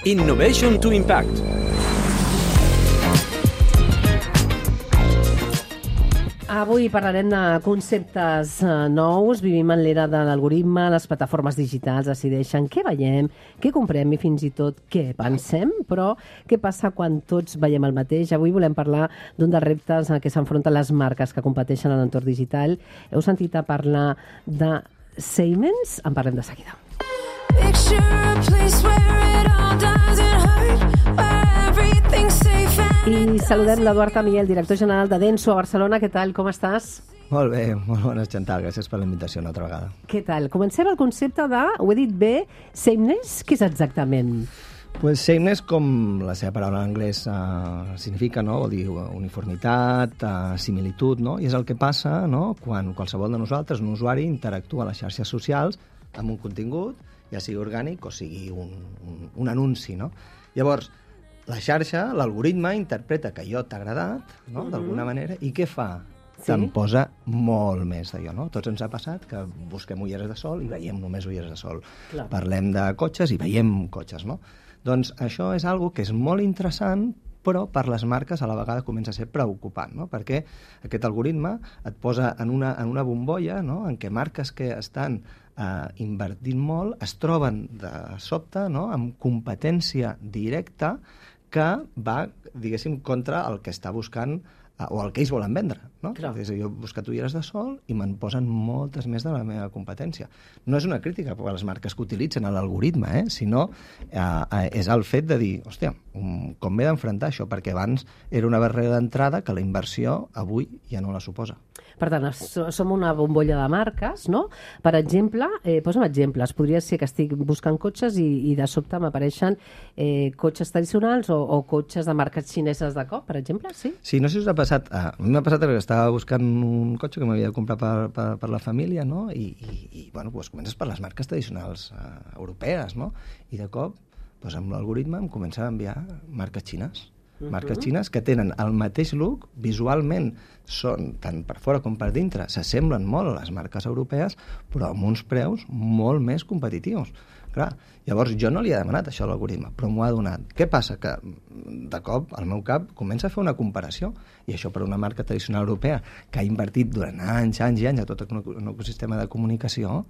Innovation to Impact. Avui parlarem de conceptes nous. Vivim en l'era de l'algoritme, les plataformes digitals decideixen què veiem, què comprem i fins i tot què pensem, però què passa quan tots veiem el mateix? Avui volem parlar d'un dels reptes a què s'enfronten les marques que competeixen en l'entorn digital. Heu sentit a parlar de Siemens? En parlem de seguida. I saludem l'Eduard Amiel, director general de Denso a Barcelona. Què tal, com estàs? Molt bé, molt bones, Chantal. Gràcies per la invitació una altra vegada. Què tal? Comencem el concepte de, ho he dit bé, sameness. Què és exactament? Pues sameness, com la seva paraula en anglès significa, no? Vol dir uniformitat, similitud, no? I és el que passa, no? Quan qualsevol de nosaltres, un usuari, interactua a les xarxes socials amb un contingut, ja sigui orgànic o sigui un anunci, no? Llavors, la xarxa, l'algoritme, interpreta que allò t'ha agradat, no? D'alguna manera, i què fa? Sí? Te'n posa molt més d'allò, no? Tots ens ha passat que busquem ulleres de sol i veiem només ulleres de sol. Clar. Parlem de cotxes i veiem cotxes, no? Doncs això és algo que és molt interessant, però per les marques a la vegada comença a ser preocupant, no? Perquè aquest algoritme et posa en una bombolla, no? En què marques que estan invertint molt es troben de sobte, no? Amb competència directa que va, diguéssim, contra el que està buscant o el que ells volen vendre, no? És a dir, jo he buscat ulleres de sol i me'n posen moltes més de la meva competència. No és una crítica per a les marques que utilitzen l'algoritme, sinó és el fet de dir, hòstia, com m'he d'enfrontar això? Perquè abans era una barrera d'entrada que la inversió avui ja no la suposa. Per tant, som una bombolla de marques, no? Per exemple, posa'm exemples. Podria ser que estic buscant cotxes i de sobte m'apareixen cotxes tradicionals o cotxes de marques xineses de cop, per exemple, sí? Sí, no sé si us ha passat. A mi m'ha passat que estava buscant un cotxe que m'havia de comprar per la família, no? I bueno, doncs comences per les marques tradicionals europees, no? I de cop, doncs amb l'algoritme em comença a enviar marques xines. Marques xines que tenen el mateix look, visualment són, tant per fora com per dintre, s'assemblen molt a les marques europees, però amb uns preus molt més competitius. Clar, llavors jo no li he demanat això a l'algoritme, però m'ho ha donat. Què passa? Que de cop el meu cap comença a fer una comparació, i això per una marca tradicional europea que ha invertit durant anys i anys a tot un ecosistema de comunicació,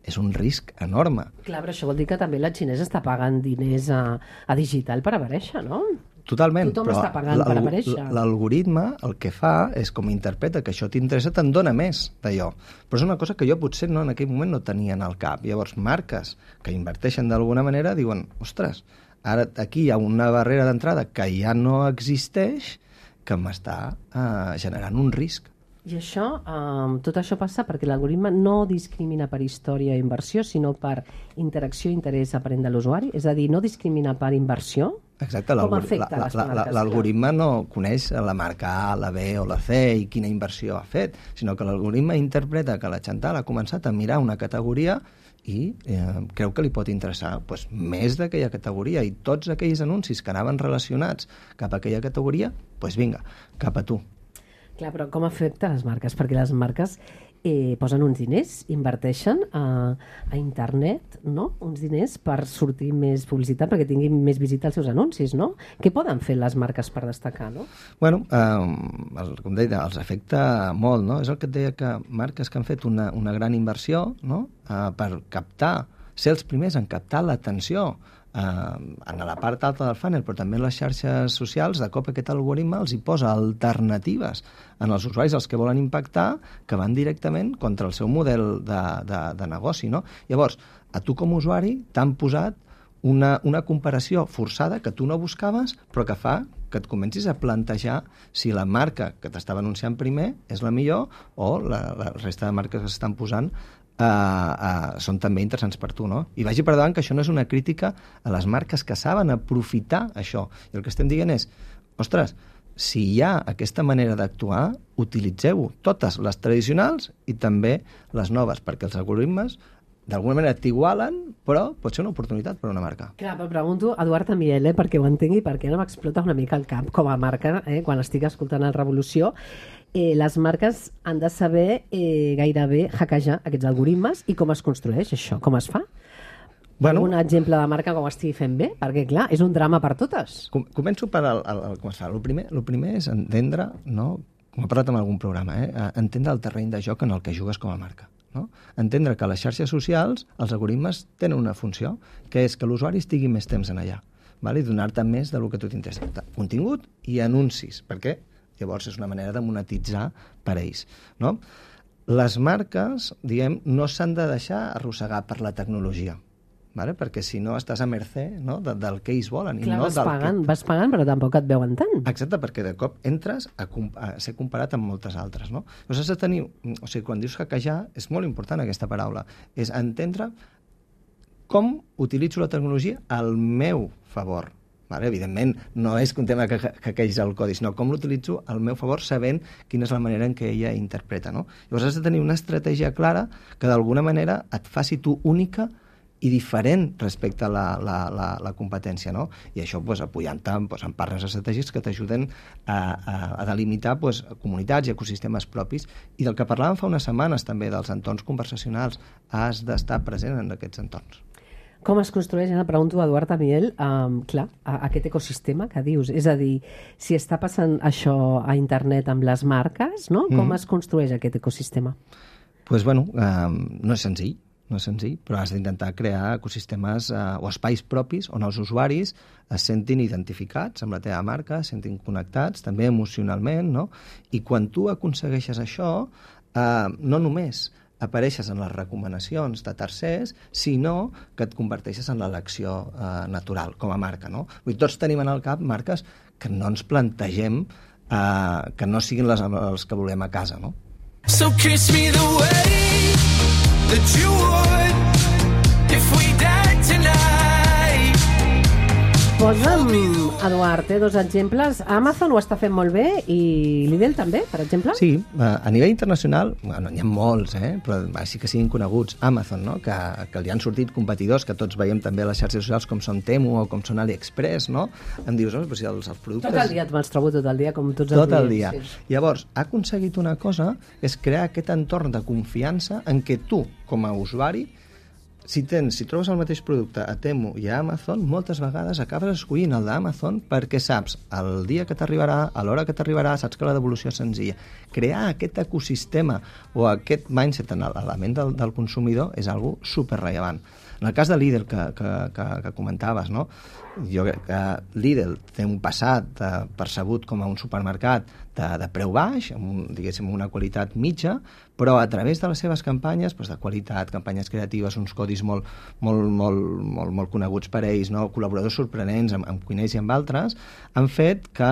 és un risc enorme. Clar, però això vol dir que també la xinesa està pagant diners a digital per aparèixer, no? Totalment. Tothom està pagant per aparèixer. L'algoritme el que fa és, com interpreta que això t'interessa, te'n dona més d'allò. Però és una cosa que jo potser en aquell moment no tenia en el cap. Llavors, marques que inverteixen d'alguna manera diuen, ostres, ara aquí hi ha una barrera d'entrada que ja no existeix que m'està generant un risc. I això, tot això passa perquè l'algoritme no discrimina per història i inversió, sinó per interacció i interès aparent de l'usuari? És a dir, no discrimina per inversió? Exacte, com afecta les marques? L'algoritme no coneix la marca A, la B o la C i quina inversió ha fet, sinó que l'algoritme interpreta que la Chantal ha començat a mirar una categoria i creu que li pot interessar més d'aquella categoria, i tots aquells anuncis que anaven relacionats cap a aquella categoria, doncs vinga, cap a tu. Clar, però com afecta les marques? Perquè les marques posen uns diners, inverteixen a internet, no? Uns diners per sortir més publicitat, perquè tinguin més visita als seus anuncis, no? Què poden fer les marques per destacar, no? Bueno, com deia, els afecta molt, no? És el que et deia, que marques que han fet una gran inversió, no? Per captar, ser els primers en captar l'atenció en la part alta del funnel, però també en les xarxes socials, de cop aquest algoritme els hi posa alternatives en els usuaris als que volen impactar, que van directament contra el seu model de negoci, no? Llavors, a tu com a usuari t'han posat una comparació forçada que tu no buscaves, però que fa que et comencis a plantejar si la marca que t'estava anunciant primer és la millor o la resta de marques que s'estan posant són també interessants per tu, no? I vagi per davant que això no és una crítica a les marques que saben aprofitar això. I el que estem dient és, ostres, si hi ha aquesta manera d'actuar, utilitzeu-ho, totes les tradicionals i també les noves, perquè els algoritmes d'alguna manera t'igualen, però pot ser una oportunitat per a una marca. Clar, però pregunto a Eduard Amiel, perquè ho entengui, perquè no m'explota una mica el cap com a marca, quan estic escoltant el Revolució. Les marques han de saber gairebé hackejar aquests algoritmes, i com es construeix això, com es fa? Algun exemple de marca que ho estigui fent bé? Perquè, clar, és un drama per totes. Començo per començar. El primer és entendre, no? Com he parlat en algun programa, entendre el terreny de joc en el que jugues com a marca. No? Entendre que les xarxes socials, els algoritmes, tenen una funció, que és que l'usuari estigui més temps en allà, vale? I donar-te més del que a tu t'interessa. Contingut i anuncis, perquè llavors és una manera de monetitzar per ells. No? Les marques, diguem, no s'han de deixar arrossegar per la tecnologia, vale? Perquè si no estàs a mercè, no? del que ells volen. Clar, i no vas pagant, però tampoc et veuen tant. Exacte, perquè de cop entres a ser comparat amb moltes altres. No? Llavors has de tenir... O sigui, quan dius hackejar, és molt important aquesta paraula. És entendre com utilitzo la tecnologia al meu favor. Vale? Evidentment, no és un tema que hackeis el codi, sinó com l'utilitzo al meu favor sabent quina és la manera en què ella interpreta. No? Llavors has de tenir una estratègia clara que d'alguna manera et faci tu única i diferent respecte a la competència, no? I això apoyant-te en partners estratègics que t'ajuden a delimitar comunitats i ecosistemes propis. I del que parlàvem fa unes setmanes també, dels entorns conversacionals, has d'estar present en aquests entorns. Com es construeix, ara pregunto a Eduard Amiel, aquest ecosistema que dius? És a dir, si està passant això a internet amb les marques, no? Com es construeix aquest ecosistema? Doncs, no és senzill. No és senzill, però has d'intentar crear ecosistemes o espais propis on els usuaris es sentin identificats amb la teva marca, es sentin connectats, també emocionalment, no? I quan tu aconsegueixes això, no només apareixes en les recomanacions de tercers, sinó que et converteixes en l'elecció natural, com a marca, no? Vull dir, tots tenim en el cap marques que no ens plantegem que no siguin els que volem a casa, no? So kiss me the way that you would if we died tonight. Posa'm, Eduard, dos exemples. Amazon ho està fent molt bé i Lidl també, per exemple? Sí, a nivell internacional, n'hi ha molts, però així que siguin coneguts. Amazon, no? que li han sortit competidors, que tots veiem també a les xarxes socials, com són Temu o com són AliExpress, no? Em dius, però si els productes... Tot el dia me'ls trobo tot el dia, com tots els dies. Tot el dia. Sí. Llavors, ha aconseguit una cosa, és crear aquest entorn de confiança en què tu, com a usuari, si trobes el mateix producte a Temu i a Amazon, moltes vegades acabes escollint el d'Amazon perquè saps el dia que t'arribarà, a l'hora que t'arribarà, saps que la devolució és senzilla. Crear aquest ecosistema o aquest mindset en l'element del consumidor és algo superrellevant. En el cas de Lidl que comentaves, no? Jo crec que Lidl té un passat percebut com a un supermercat de preu baix, diguéssim una qualitat mitja, però a través de les seves campanyes de qualitat, campanyes creatives, uns codis molt coneguts per ells, no? Col·laboradors sorprenents amb cuiners i amb altres, han fet que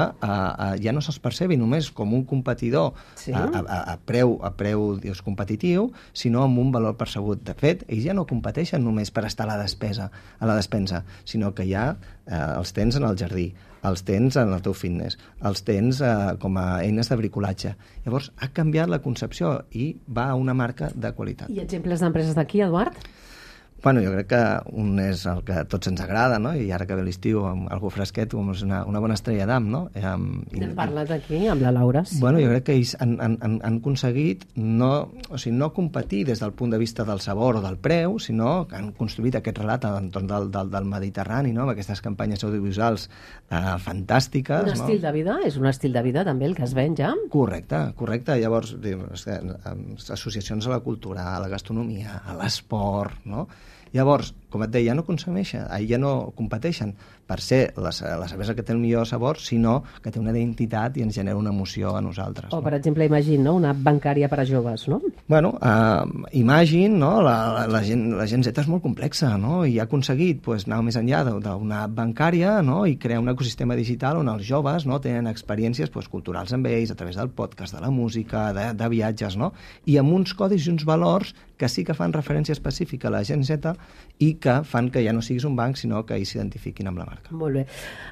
ja no se'ls percebi només com un competidor a preu competitiu, sinó amb un valor percebut. De fet, ells ja no competeixen només per estar a la despensa, sinó que ja els tens en el jardí, els tens en el teu fitness, els tens com a eines de bricolatge. Llavors, ha canviat la concepció i va a una marca de qualitat. I exemples d'empreses d'aquí, Eduard? Bueno, jo crec que un és el que a tots ens agrada, no? I ara que ve l'estiu, amb algú fresquet, com és una bona estrella d'am, no? N'hem parlat aquí, amb la Laura. Sí. Bueno, jo crec que ells han aconseguit no competir des del punt de vista del sabor o del preu, sinó que han construït aquest relat a l'entorn del Mediterrani, no? Amb aquestes campanyes audiovisuals fantàstiques. Un estil de vida? És un estil de vida també el que es ven ja? Correcte. Llavors, associacions a la cultura, a la gastronomia, a l'esport, no? Llavors, com et deia, ja no competeixen per ser la cervesa que té el millor sabor, sinó que té una identitat i ens genera una emoció a nosaltres. O, per exemple, Imagine, no? Una app bancària per a joves, no? Bueno, Imagine, no? La gent Z és molt complexa, no? I ha aconseguit anar més enllà d'una app bancària, no? I crear un ecosistema digital on els joves, no? Tenen experiències culturals amb ells, a través del podcast, de la música, de viatges, no? I amb uns codis i uns valors que sí que fan referència específica a la gent Z i que fan que ja no siguis un banc, sinó que ells s'identifiquin amb la marca. Molt bé.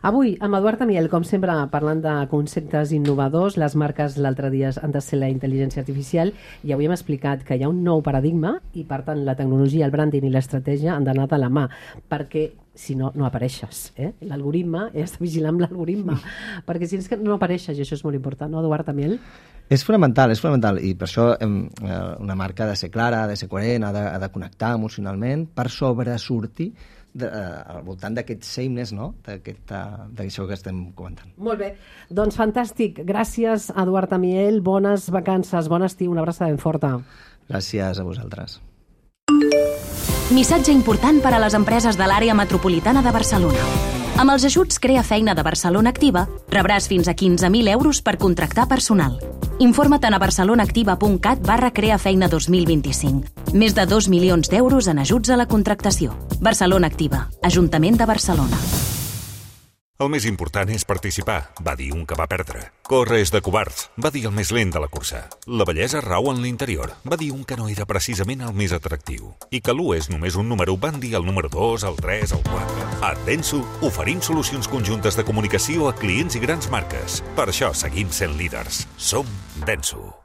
Avui, amb Eduard Amiel, com sempre, parlant de conceptes innovadors, les marques l'altre dia han de ser la intel·ligència artificial, i avui hem explicat que hi ha un nou paradigma i, per tant, la tecnologia, el branding i l'estratègia han d'anar de la mà, perquè si no, no apareixes. L'algoritme, has de vigilar amb l'algoritme, perquè si és que no apareixes, i això és molt important, no, Eduard Amiel? És fonamental, i per això una marca ha de ser clara, ha de ser coherent, ha de connectar emocionalment per sobresortir al voltant d'aquest sameness, no? D'això que estem comentant. Molt bé, doncs fantàstic. Gràcies, Eduard Amiel. Bones vacances, bon estiu, una abraçada ben forta. Gràcies a vosaltres. Missatge important per a les empreses de l'àrea metropolitana de Barcelona. Amb els ajuts Crea Feina de Barcelona Activa, rebràs fins a 15.000 euros per contractar personal. Informa't a barcelonaactiva.cat/creafeina 2025. Més de 2 milions d'euros en ajuts a la contractació. Barcelona Activa, Ajuntament de Barcelona. El més important és participar, va dir un que va perdre. Córrer és de covards, va dir el més lent de la cursa. La bellesa rau en l'interior, va dir un que no era precisament el més atractiu. I que l'1 és només un número, van dir el número 2, el 3, el 4. A Denso oferim solucions conjuntes de comunicació a clients i grans marques. Per això seguim sent líders. Som Denso.